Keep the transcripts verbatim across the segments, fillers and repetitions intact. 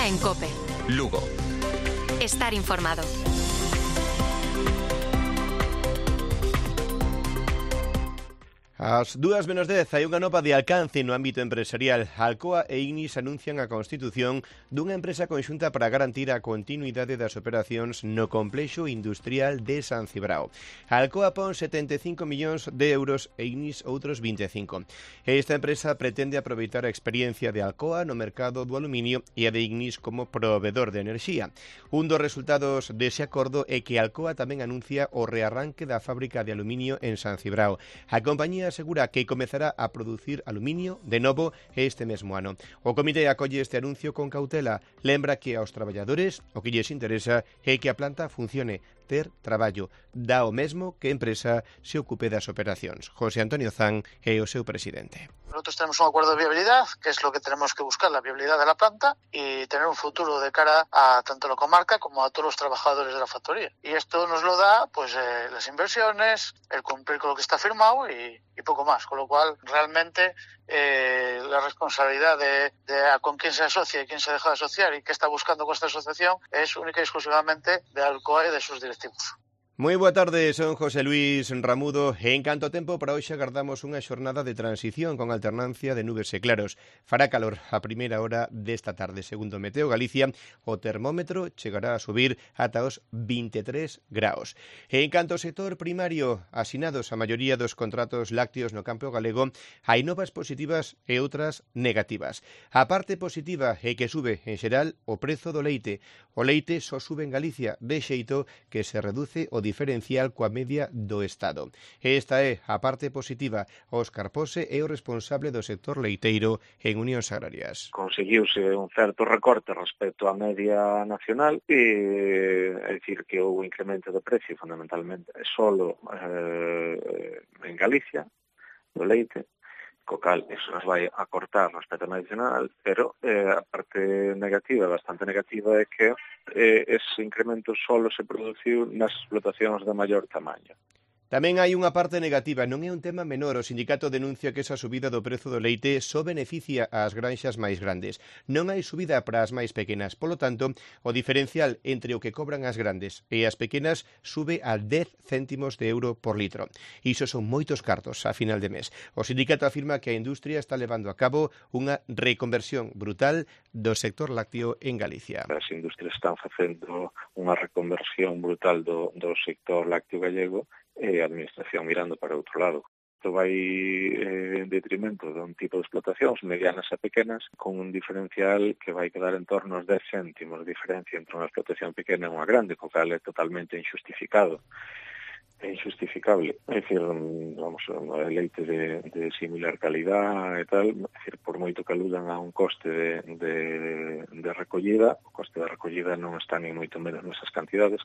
en COPE. Lugo. Estar informado. Ás dúas menos dez hai unha nova de alcance no ámbito empresarial. Alcoa e Ignis anuncian a constitución dunha empresa conxunta para garantir a continuidade das operacións no complexo industrial de San Cibrao. Alcoa pon setenta e cinco millóns de euros e Ignis outros vinte e cinco. Esta empresa pretende aproveitar a experiencia de Alcoa no mercado do aluminio e a de Ignis como provedor de enerxía. Un dos resultados dese acordo é que Alcoa tamén anuncia o rearranque da fábrica de aluminio en San Cibrao. A compañía asegura que comezará a producir aluminio de novo este mesmo ano. O comité acolle este anuncio con cautela. Lembra que aos traballadores o que lles interesa é que a planta funcione, ter traballo. Dá o mesmo que a empresa se ocupe das operacións. José Antonio Zan é o seu presidente. Nosotros tenemos un acuerdo de viabilidad, que es lo que tenemos que buscar, la viabilidad de la planta y tener un futuro de cara a tanto la comarca como a todos los trabajadores de la factoría. Y esto nos lo da pues eh, las inversiones, el cumplir con lo que está firmado y, y poco más. Con lo cual, realmente, eh, la responsabilidad de, de a con quién se asocia y quién se deja de asociar y qué está buscando con esta asociación es única y exclusivamente de Alcoa y de sus directivos. Moi boa tarde, son José Luis Ramudo. En canto tempo, para hoxe agardamos unha xornada de transición con alternancia de nubes e claros. Fará calor a primeira hora desta tarde. Segundo Meteo Galicia, o termómetro chegará a subir ata os vinte e tres graos. En canto ao sector primario, asinados a maioría dos contratos lácteos no campo galego, hai novas positivas e outras negativas. A parte positiva é que sube, en xeral, o prezo do leite. O leite só sube en Galicia, de xeito que se reduce o diferencial coa media do Estado. Esta é a parte positiva. Óscar Pose é o responsable do sector leiteiro en Unións Agrarias. Conseguiuse un certo recorte respecto á media nacional e é dicir que houve incremento de precio fundamentalmente solo eh, en Galicia do leite, co cal eso nos vai a cortar respecto ao nacional, pero eh, a parte negativa, bastante negativa, é que eh, ese incremento solo se produciu nas explotacións de maior tamaño. Tamén hai unha parte negativa, non é un tema menor. O sindicato denuncia que esa subida do prezo do leite só beneficia ás granxas máis grandes. Non hai subida para as máis pequenas. Polo tanto, o diferencial entre o que cobran as grandes e as pequenas sube a dez céntimos de euro por litro. Iso son moitos cartos a final de mes. O sindicato afirma que a industria está levando a cabo unha reconversión brutal do sector lácteo en Galicia. As industrias están facendo unha reconversión brutal do, do sector lácteo gallego e a administración mirando para outro lado. Isto vai eh, en detrimento dun tipo de explotacións medianas e pequenas con un diferencial que vai quedar en torno aos dez céntimos de diferencia entre unha explotación pequena e unha grande, co cal é totalmente injustificado. É injustificable. É dicir, vamos, o leite de, de similar calidad e tal, é dicir, por moito que aludan a un coste de, de, de recollida, o coste de recollida non está ni moito menos nesas cantidades.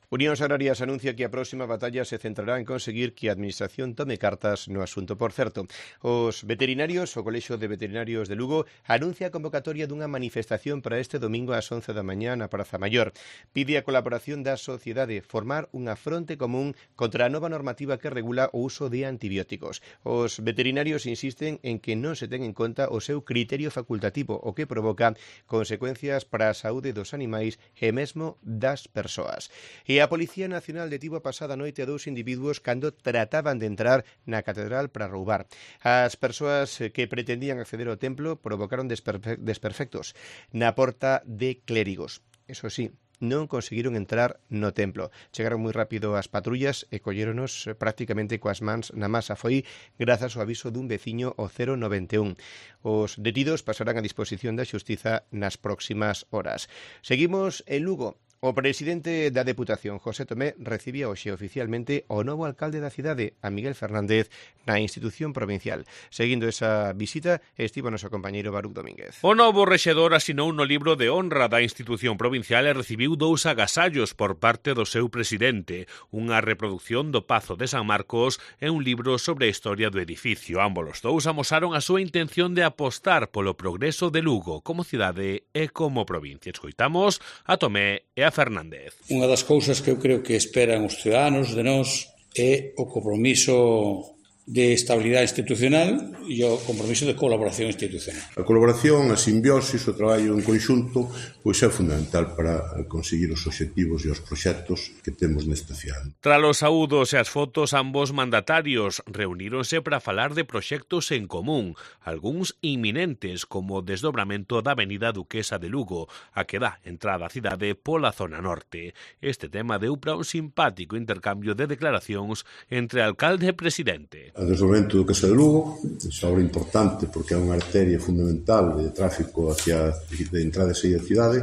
Unións Agrarias anuncia que a próxima batalla se centrará en conseguir que a Administración tome cartas no asunto. Por certo, os veterinarios, o Colexio de Veterinarios de Lugo, anuncia a convocatoria dunha manifestación para este domingo ás once da mañá na Praza Maior. Pide a colaboración da sociedade, formar unha fronte común contra a nova normativa que regula o uso de antibióticos. Os veterinarios insisten en que non se ten en conta o seu criterio facultativo, o que provoca consecuencias para a saúde dos animais e mesmo das persoas. E a Policía Nacional detivo a pasada noite a dous individuos cando trataban de entrar na catedral para roubar. As persoas que pretendían acceder ao templo provocaron desperfe- desperfectos na porta de clérigos. Eso sí, non conseguiron entrar no templo. Chegaron moi rápido as patrullas e colléronos prácticamente coas mans na masa. Foi grazas ao aviso dun veciño o cero noventa e un. Os detidos pasarán a disposición da xustiza nas próximas horas. Seguimos en Lugo. O presidente da Deputación, José Tomé, recibía hoxe oficialmente o novo alcalde da cidade, a Miguel Fernández, na institución provincial. Seguindo esa visita, estivo noso compañeiro Baruc Domínguez. O novo rexedor asinou no libro de honra da institución provincial e recibiu dous agasallos por parte do seu presidente, unha reproducción do Pazo de San Marcos e un libro sobre a historia do edificio. Ambos os dous amosaron a súa intención de apostar polo progreso de Lugo como cidade e como provincia. Escoitamos a Tomé e a Fernández. Unha das cousas que eu creo que esperan os ciudadanos de nós é o compromiso de estabilidade institucional e o compromiso de colaboración institucional. A colaboración, a simbiosis, o traballo en conxunto, pois é fundamental para conseguir os obxectivos e os proxectos que temos nesta cidade. Tras os saúdos e as fotos, ambos mandatarios reuníronse para falar de proxectos en común, algúns inminentes, como o desdobramento da avenida Duquesa de Lugo, a que dá entrada á cidade pola zona norte. Este tema deu para un simpático intercambio de declaracións entre alcalde e presidente. O desdobramento do Duquesa de Lugo é obra importante porque é unha arteria fundamental de tráfico hacia de entrada e saída da cidade,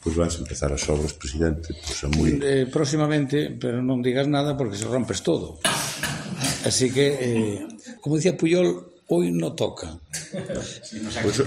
pois vais empezar as obras, presidente, pois é moi... Eh, próximamente, pero non digas nada porque se rompes todo. Así que, eh, como dicía Puyol, hoy no toca. Pois,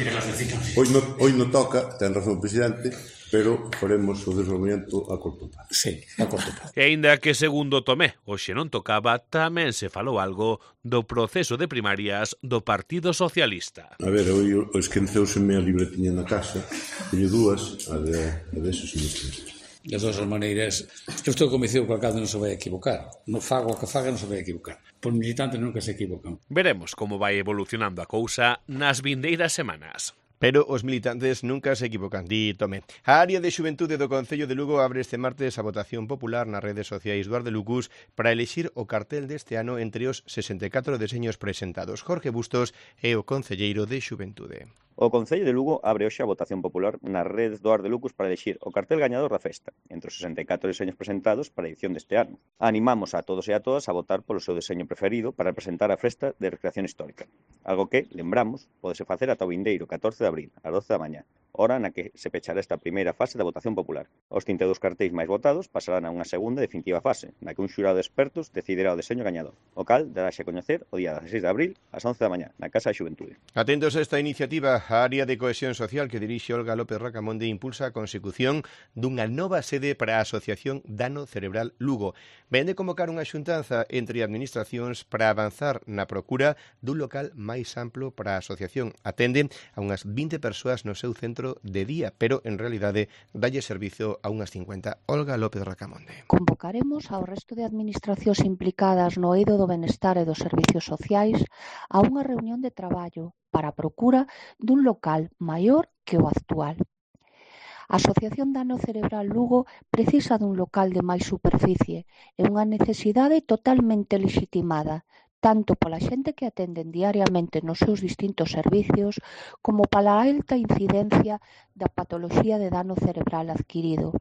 hoy, no, hoy no toca, ten razón o presidente, pero faremos o desdobramento a corto prazo. Sí, a corto prazo. E aínda que, segundo Tomé, hoxe non tocaba, tamén se falou algo do proceso de primarias do Partido Socialista. A ver, hoy esquenceuseme a libretiña na casa, teño dúas, a de, a de esos ministros. De todas as maneiras, eu estou convencido que o alcalde non se vai equivocar. No fago o que faga non se vai equivocar. Por militantes nunca se equivocan. Veremos como vai evolucionando a cousa nas vindeiras semanas. Pero os militantes nunca se equivocan, di Tomé. A área de xuventude do Concello de Lugo abre este martes a votación popular nas redes sociais do Ardelucus para elixir o cartel deste ano entre os sesenta e catro deseños presentados. Jorge Bustos é o concelleiro de xuventude. O Concello de Lugo abre hoxe a votación popular nas redes do Ardelucus para elixir o cartel gañador da festa, entre os sesenta e catro deseños presentados para a edición deste ano. Animamos a todos e a todas a votar polo seu deseño preferido para representar a festa de recreación histórica, algo que, lembramos, podese facer ata o vindeiro catorce de abril, ás doce da mañá, hora na que se pechará esta primeira fase da votación popular. Os trinta e dous cartéis máis votados pasarán a unha segunda e definitiva fase, na que un xurado de expertos decidirá o deseño gañador, o cal darase a coñecer o día dezasseis de abril ás once da mañá, na Casa de Xuventude. Atentos a esta iniciativa, a área de cohesión social que dirixe Olga López Racamonde impulsa a consecución dunha nova sede para a Asociación Dano Cerebral Lugo. Ven de convocar unha xuntanza entre administracións para avanzar na procura dun local máis amplo para a asociación. Atende a unhas vinte persoas no seu centro de día, pero en realidade dalle servizo a unhas cincuenta. Olga López Racamonde. Convocaremos ao resto de administracións implicadas no eido do benestar e dos servicios sociais a unha reunión de traballo para a procura dun local maior que o actual. A Asociación Dano Cerebral Lugo precisa dun local de máis superficie e unha necesidade totalmente lexitimada, tanto pola xente que atenden diariamente nos seus distintos servicios como pola alta incidencia da patoloxía de dano cerebral adquirido.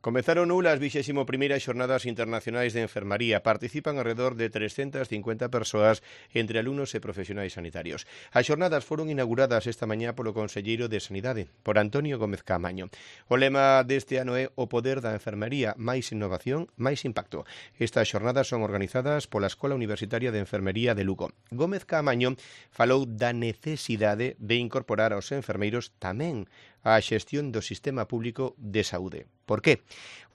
Comezaron hoxe as vixésimo primeiras xornadas internacionais de enfermaría. Participan alrededor de trescentas cincuenta persoas entre alumnos e profesionais sanitarios. As xornadas foron inauguradas esta mañá polo conselleiro de Sanidade, por Antonio Gómez Caamaño. O lema deste ano é o poder da enfermería, máis innovación, máis impacto. Estas xornadas son organizadas pola Escola Universitaria de Enfermería de Lugo. Gómez Caamaño falou da necesidade de incorporar aos enfermeiros tamén a xestión do sistema público de saúde. Por qué?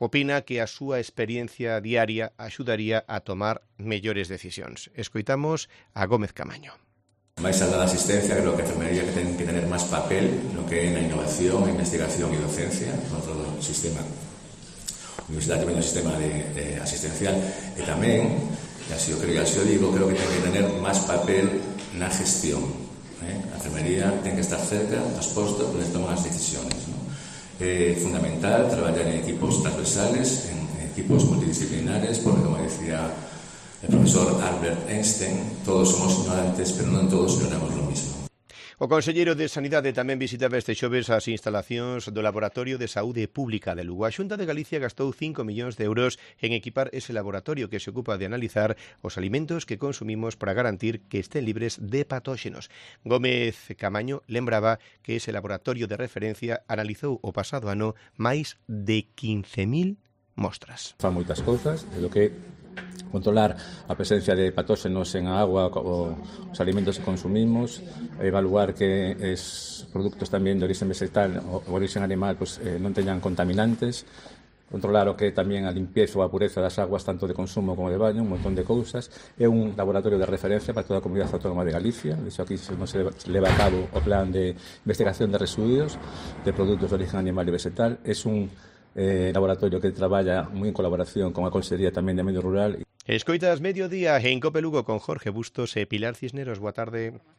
Opina que a súa experiencia diaria axudaría a tomar mellores decisións. Escoitamos a Gómez Caamaño. Máis alá da asistencia, creo que a enfermería que ten que tener máis papel no que é na innovación, a investigación e docencia, no todo o sistema universitario, tamén o sistema de, de asistencial, e tamén, e así o creo, así o digo, creo que ten que tener máis papel na gestión. Eh? A enfermería ten que estar cerca dos postos onde toman as decisións, ¿no? É fundamental traballar en equipos transversales, en equipos multidisciplinares, porque, como decía el profesor Albert Einstein, todos somos ignorantes, pero non todos ignoramos lo mismo. O conselleiro de Sanidade tamén visitaba este xoves as instalacións do Laboratorio de Saúde Pública de Lugo. A Xunta de Galicia gastou cinco millóns de euros en equipar ese laboratorio que se ocupa de analizar os alimentos que consumimos para garantir que estén libres de patóxenos. Gómez Caamaño lembraba que ese laboratorio de referencia analizou o pasado ano máis de quince mil mostras. Fan moitas cousas, é o que controlar a presencia de patóxenos en a agua ou os alimentos que consumimos, evaluar que os produtos tamén de origen vegetal ou origen animal pues, eh, non teñan contaminantes, controlar o que tamén a limpieza ou a pureza das aguas tanto de consumo como de baño, un montón de cousas. É un laboratorio de referencia para toda a Comunidade Autónoma de Galicia. De hecho, aquí non se leva a cabo o plan de investigación de residuos de produtos de origen animal e vegetal. É un eh, laboratorio que traballa moi en colaboración con a Consellería tamén de Medio Rural. Escoitas Mediodía en Cope Lugo con Jorge Bustos e Pilar Cisneros. Boa tarde.